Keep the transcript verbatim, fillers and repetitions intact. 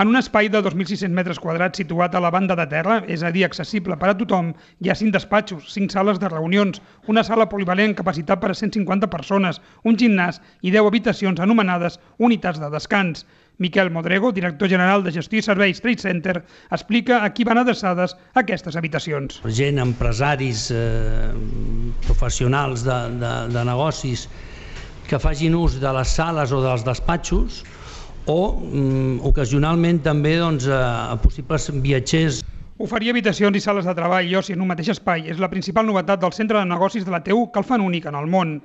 En un espai de dos mil sis-cents metres quadrats situat a la banda de terra, és a dir, accessible per a tothom, hi ha cinc despatxos, cinc sales de reunions, una sala polivalent capacitat per a cent cinquanta persones, un gimnàs i deu habitacions anomenades unitats de descans. Miquel Modrego, director general de Gestió i Serveis Trade Center, explica a qui van adreçades aquestes habitacions. Gent, empresaris, eh, professionals de, de, de negocis que facin ús de les sales o dels despatxos o mm, ocasionalment també doncs, a possibles viatgers. Oferir habitacions i sales de treball i oci en un mateix espai és la principal novetat del centre de negocis de la T U que el fan únic en el món.